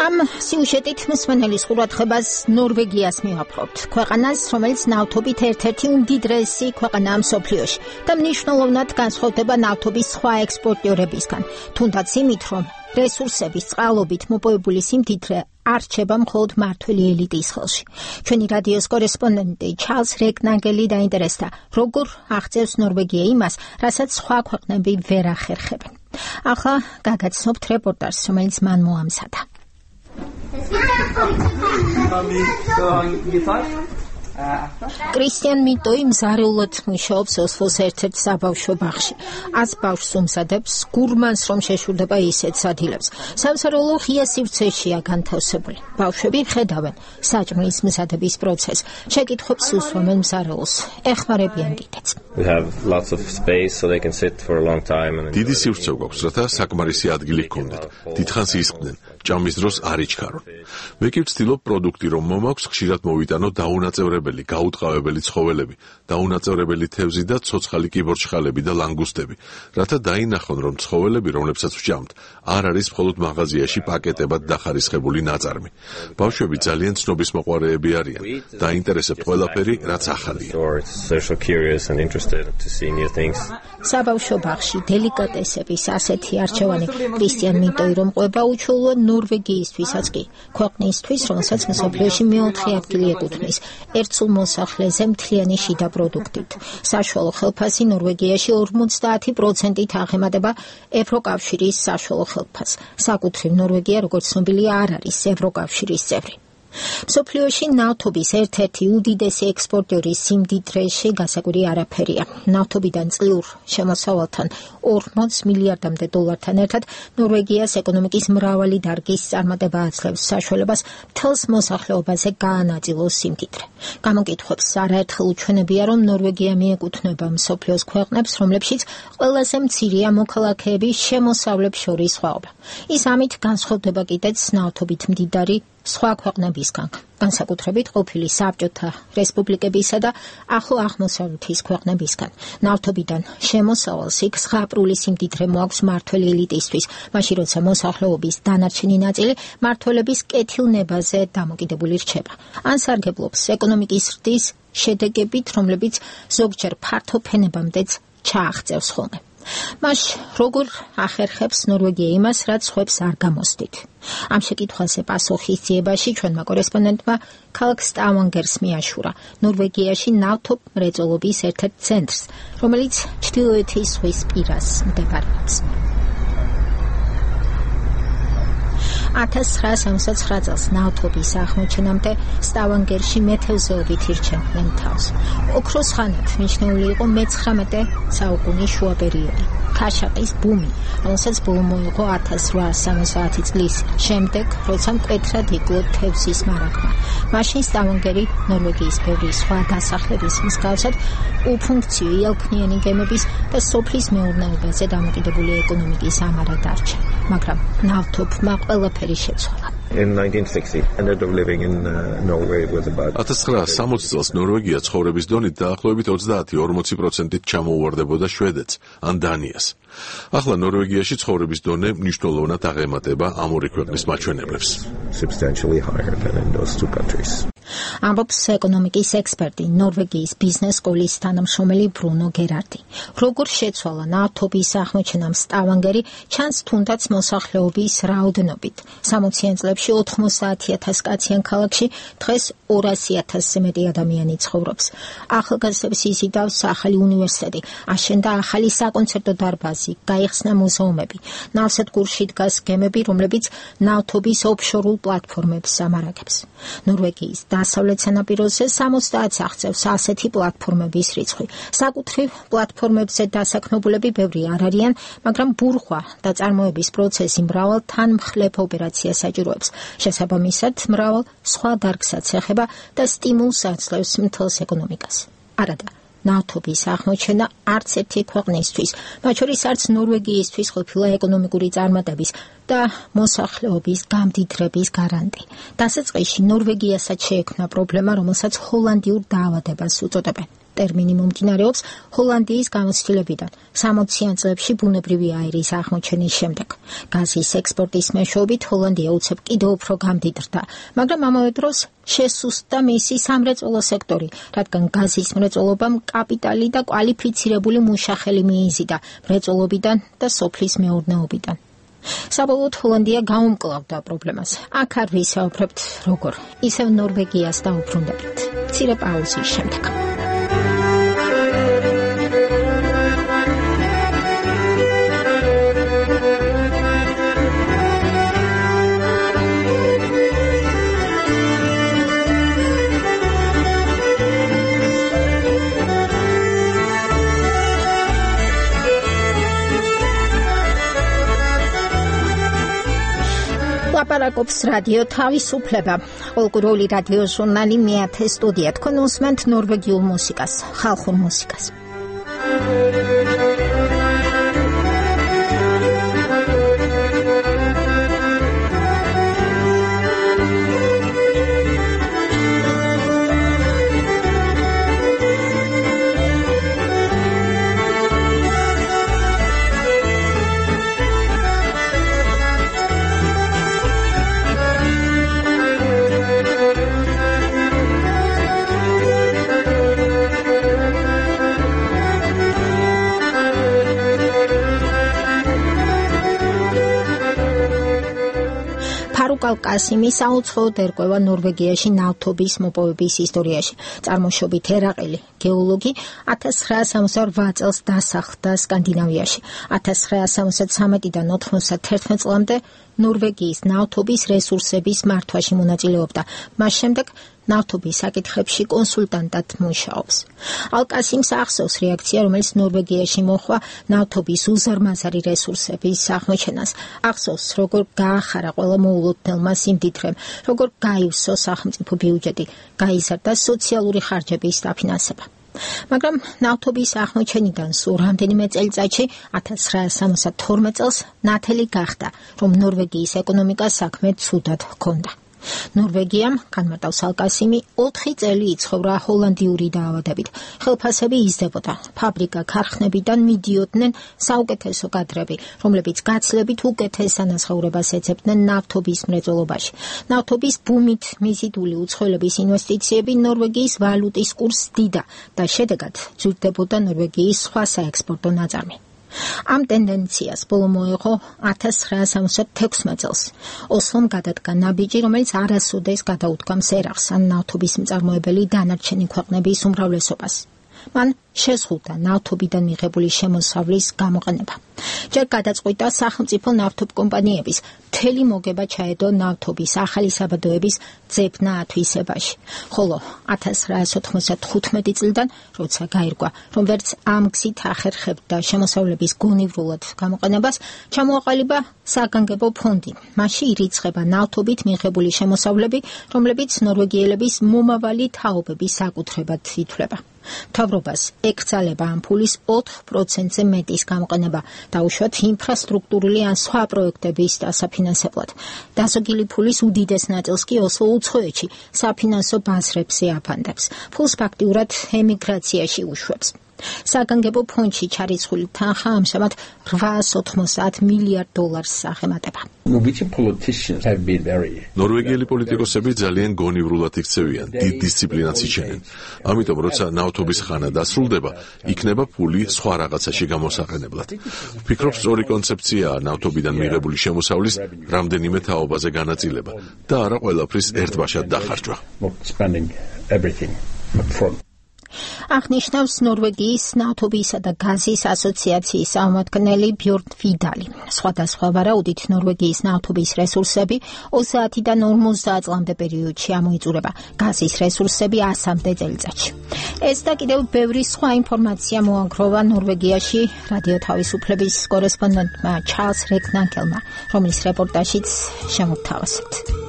Am სიუჟეტით მსმენელის ყურადღებას ნორვეგიას მივაპყრობთ. ქვეყანას, რომელიც ნავთობით ერთ-ერთი უმდიდრესი ქვეყანაა მსოფლიოში და მნიშვნელოვნად განსხვავდება ნავთობის სხვა ექსპორტიორებისგან. თუნდაც იმით, რომ რესურსების წყალობით მოპოვებული სიმდიდრე არ რჩება მხოლოდ მმართველი ელიტის ხელში. ჩვენი რადიოს კორესპონდენტი ჩარლზ რეკნაგელი დაინტერესდა, როგორ აღწევს ნორვეგია იმას, რასაც სხვა ქვეყნები ვერ ახერხებენ. ახლა გაგაცნობთ რეპორტაჟს, რომელიც მან მოამზადა. კრისტიან მიტოი მზარეულად მუშაობს ოსლოს ერთ-ერთ საბავშვო ბაღში. 100 ბავშვს უმზადებს, გურმანს რომ შეშურდება ისეთ სადილებს. სამზარეულო ღია სივრცეშია განთავსებული. ბავშვები ხედავენ საჭმლის მზადების პროცესს. შეკითხვებს უსვამენ მზარეულს, ეხმარებიან კიდეც. დიდი სივრცე გვაქვს, რათა საკმარისი ადგილი გქონდეთ. დიდხანს ისხდნენ, ჭამის დროს არ იჩქარონ. მე კი ვცდილობ პროდუქტი რომ მომაქვს, ხშირად მოვიტანო დაუნაწევრებელი, გაუტყავებელი ცხოველები, დაუნაწევრებელი თევზი და ცოცხალი კიბორჩხალები და ლანგუსტები, რათა დაინახონ, რომ ცხოველები, რომლებსაც ვჭამთ, არ არის მხოლოდ მაღაზიაში პაკეტებად დახარისხებული ნაწარმი. ბავშვები ძალიან ცნობისმოყვარეები არიან, დაინტერესებთ ყველაფერი, რაც ახალია. საბავშვო ბაღში დელიკატესების ასეთი არჩევანი კრისტიან მიტოი რომ ყვება უჩვეულო ნორვეგიისთვისაც კი, ქვეყნისთვის, რომელსაც მსოფლიოში მეოთხე ადგილი ეკუთვნის, ერთსულ მოსახლეზე მთლიანი შიდა პროდუქტით. საშუალო ხელფასი ნორვეგიაში 50%-ით აღემატება ევროკავშირის საშუალო ხელფასს. საკუთრივ ნორვეგია, როგორც ცნობილია, არ არის ევროკავშირის წევრი. მსოფლიოში ნავთობის ერთ-ერთი უდიდესი ექსპორტიორის სიმდიდრეში გასაკვირი არაფერია. ნავთობიდან წლიურ შემოსავალთან 40 მილიარდამდე დოლართან ერთად ნორვეგიას ეკონომიკის მრავალი დარგის წარმატება აძლევს საშუალებას მთელს მოსახლეობაზე გაანაწილოს სიმდიდრე. გამოკითხვებს არაერთხელ უჩვენებია, რომ ნორვეგია მიეკუთვნება მსოფლიოს ქვეყნებს, რომლებშიც ყველაზე მცირეა მოქალაქეების შემოსავლებს შორის სხვაობა. ის ამით განსხვავდება კიდეც ნავთობით მდიდარი სხვა ქვეყნებისგან, განსაკუთრებით ყოფილი საბჭოთა რესპუბლიკებისა და ახლო აღმოსავლეთის ქვეყნებისგან. ნავთობიდან შემოსავალს იქ ზღაპრული სიმდიდრე მოაქვს მმართველი ელიტისთვის, მაშინ როცა მოსახლეობის დანარჩენი ნაწილი მმართველების კეთილნებაზე დამოკიდებული რჩება. ან სარგებლობს ეკონომიკის ზრდის შედეგებით, რომლებიც ზოგჯერ ფართო ფენებამდეც ჩააღწევს ხოლმე. მას როგორ ახერხებს ნორვეგია იმას, რაც სხვებს არ გამოსდით? ამ შეკითხვაზე პასუხის ძიებაში ჩვენმა კორესპონდენტმა ქალაქ სტავანგერს მიაშურა, ნორვეგიაში ნავთობ მრეწველობის ერთ-ერთ ცენტრს, რომელიც ჩრდილოეთის ზღვის პირას მდებარეობს. 1969 წელს ნავთობის აღმოჩენამდე სტავანგერში მეთევზეობით ირჩევდნენ თავს. ოქროს ხანად მიჩნეული იყო მე-19 საუკუნის შუა პერიოდი. ქაშაყის ბუმი, რომელსაც ბოლო მოიღო 1870 წლის შემდეგ, როცა მკვეთრად იკლო თევზის მარაგმა. მაშინ სტავანგერი ნორვეგიის ბევრი სხვა დასახლების მსგავსად უფუნქციო იალქნიანი გემების და სოფლის მეურნეობაზე დამოკიდებული ეკონომიკის ამარა დარჩა. მაგრამ ნავთობმა ყველაფერი შეცვალა. 1960 წელს ნორვეგია ცხოვრების დონით დაახლოებით 30-40%-ით ჩამოუვარდებოდა შვედეთს ან დანიას. ახლა ნორვეგიაში ცხოვრების დონე მნიშვნელოვნად აღემატება ამ ორი ქვეყნის მაჩვენებლებს. ამბობს ეკონომიკის ექსპერტი, ნორვეგიის ბიზნეს სკოლის თანამშრომელი ბრუნო გერარდი. როგორ შეცვალა ნავთობის აღმოჩენამ სტავანგერი, ჩანს თუნდაც მოსახლეობის რაოდენობით. 60-იან წლებში 90,000 კაციან ქალაქში დღეს 200,000-ზე მეტი ადამიანი ცხოვრობს. ახალგაზრდებს იზიდავს ახალი უნივერსიტეტი, აშენდა ახალი საკონცერტო დარბაზი, გაიხსნა მუზეუმები. ნავსადგურში დგას გემები, რომლებიც ნავთობის ოფშორულ პლატფორმებს ამარაგებს. ნორვეგიის დასავლეთ სანაპიროზე 60-ს აღწევს ასეთი პლატფორმების რიცხვი. საკუთრივ პლატფორმებზე დასაქმებულები ბევრი არ არიან, მაგრამ ბურღვა და წარმოების პროცესი მრავალ თანმხლებ ოპერაციას საჭიროებს. შესაბამისად, მრავალ სხვა დარგსაც ეხება და სტიმულს აძლევს მთელს ეკონომიკას. არადა, ნავთობის აღმოჩენა არც ერთი ქვეყნისთვის, მათ შორის არც ნორვეგიისთვის ყოფილა ეკონომიკური წარმატების და მოსახლეობის გამდიდრების გარანტი. დასაწყისში ნორვეგიასაც შეექმნა პრობლემა, რომელსაც ჰოლანდიურ დაავადებას უწოდებენ. ტერმინი მომდინარეობს ჰოლანდიის გამოცდილებიდან 60-იან წლებში ბუნებრივი აირის აღმოჩენის შემდეგ. გაზის ექსპორტის მეშვეობით ჰოლანდია უცებ კიდევ უფრო გამდიდრდა, მაგრამ ამავე დროს შესუსტდა მისი სამრეწველო სექტორი, რადგან გაზის მრეწველობამ კაპიტალი და კვალიფიცირებული მუშახელი მიიზიდა მრეწველობიდან და სოფლის მეურნეობიდან. საბოლოოდ ჰოლანდია გაუმკლავდა პრობლემას. აქ არ ვისაუბრებთ როგორ, ისევ ნორვეგიას დაუბრუნდებით. მცირე პაუზის შემდეგ. ლაპარაკობს რადიო თავისუფლება. ყოველკვირეული რადიო ჟურნალი მეათე სტუდია. თქვენ უსმენთ ნორვეგიულ მუსიკას, ხალხურ მუსიკას. კასიმი საუცხოოდ ერკვევა ნორვეგიაში ნავთობის მოპოვების ისტორიაში. წარმოშობით ერაყელი გეოლოგი 1968 წელს დასახლდა სკანდინავიაში. 1973-დან 91 წლამდე ნორვეგიის ნავთობის რესურსების მართვაში მონაწილეობდა. მას შემდეგ ნავთობის საკითხებში კონსულტანტად მუშაობს. ალკასიმს ახსოვს რეაქცია, რომელიც ნორვეგიაში მოხდა ნავთობის უზარმაზარი რესურსების აღმოჩენას. ახსოვს, როგორ გაახარა ყველა მოულოდნელმა სიმდიდრემ, როგორ გაივსო სახელმწიფო ბიუჯეტი, გაიზარდა სოციალური ხარჯების დაფინანსება. მაგრამ ნავთობის აღმოჩენიდან სულ რამდენიმე წელიწადში 1972 წელს ნათელი გახდა, რომ ნორვეგიის ეკონომიკა საქმე ცუდად ჰქონდა. ნორვეგიამ, განმარტავს ალკასიმი, 4 წელი იცხოვრა ჰოლანდიური დაავადებით. ხელფასები იზრდებოდა. ფაბრიკა-ქარხნებიდან მიდიოდნენ საუკეთესო კადრები, რომლებიც გაცილებით უკეთეს სანაცხოვრებას ეძებდნენ ნავთობის მრეწველობაში. ნავთობის ბუმით მიზიდული უცხოელების ინვესტიციები ნორვეგიის ვალუტის კურსს დიდა და შედეგად ძვირდებოდა ნორვეგიის სხვა საექსპორტო ნაწარმი. ამ ტენდენციას ბოლო მოეღო 1976 წელს. ოსლომ გადადგა ნაბიჯი, რომელიც არასოდეს გადაუდგამს ერახს ან ნავთობის მწარმოებელი დანარჩენი ქვეყნების უმრავლესობას. მან შეზღუდა ნავთობიდან მიღებული შემოსავლის გამოყენება. ჯერ გადაწყვიტა სახელმწიფო ნავთობკომპანიების მთელი მოგება ჩაედო ნავთობის ახალი საბადოების ძებნა ათვისებაში. ხოლო 1995 წლიდან, როცა გაირკვა, რომ ვერც ამ გზით ახერხებდა შემოსავლების გონივრულად გამოყენებას, ჩამოაყალიბა საგანგებო ფონდი. მასში ირიცხება ნავთობით მიღებული შემოსავლები, რომლებიც ნორვეგიელების მომავალი თაობების საკუთრებად ითვლება. მთავრობას ეკრძალება ამ ფულის 4%-ზე მეტის გამოყენება, დაუშვათ ინფრასტრუქტურული ან სხვა პროექტების დასაფინანსებლად. დასაგილი ფულის უდიდეს ნაწილს კი ოსლო უცხოეთში საფინანსო ბაზრებზე აფანდებს. ფულს ფაქტიურად ემიგრაციაში უშვებს. საგანგებო ფონდში ჩარიცხული თანხა ამჟამად $890 მილიარდ აღემატება. ნორვეგიელი პოლიტიკოსები ძალიან გონივრულად იქცევიან, დიდ დისციპლინას იჩენენ. ამიტომ, როცა ნავთობის ხანა დასრულდება, იქნება ფული სხვა რაღაცაში გამოსაყენებლად. ვფიქრობ, სწორი კონცეფციაა ნავთობიდან მიღებული შემოსავლის რამდენიმე თაობაზე განაწილება და არა ყველაფრის ერთბაშად დახარჯვა. აღნიშნავს ნორვეგიის ნავთობისა და გაზის ასოციაციის წარმომადგენელი ბjörn ვიდალი. სხვადასხვა ვარაუდით ნორვეგიის ნავთობის რესურსები 30-დან 50 წლამდე პერიოდში ამოიწურება, გაზის რესურსები 100-მდე წელიწადში. ეს და კიდევ ბევრი სხვა ინფორმაცია მოაგროვა ნორვეგიაში რადიო თავისუფლების კორესპონდენტმა ჩარლს რეკნანკელმა, რომლის რეპორტაჟიც შემოგთავაზებთ.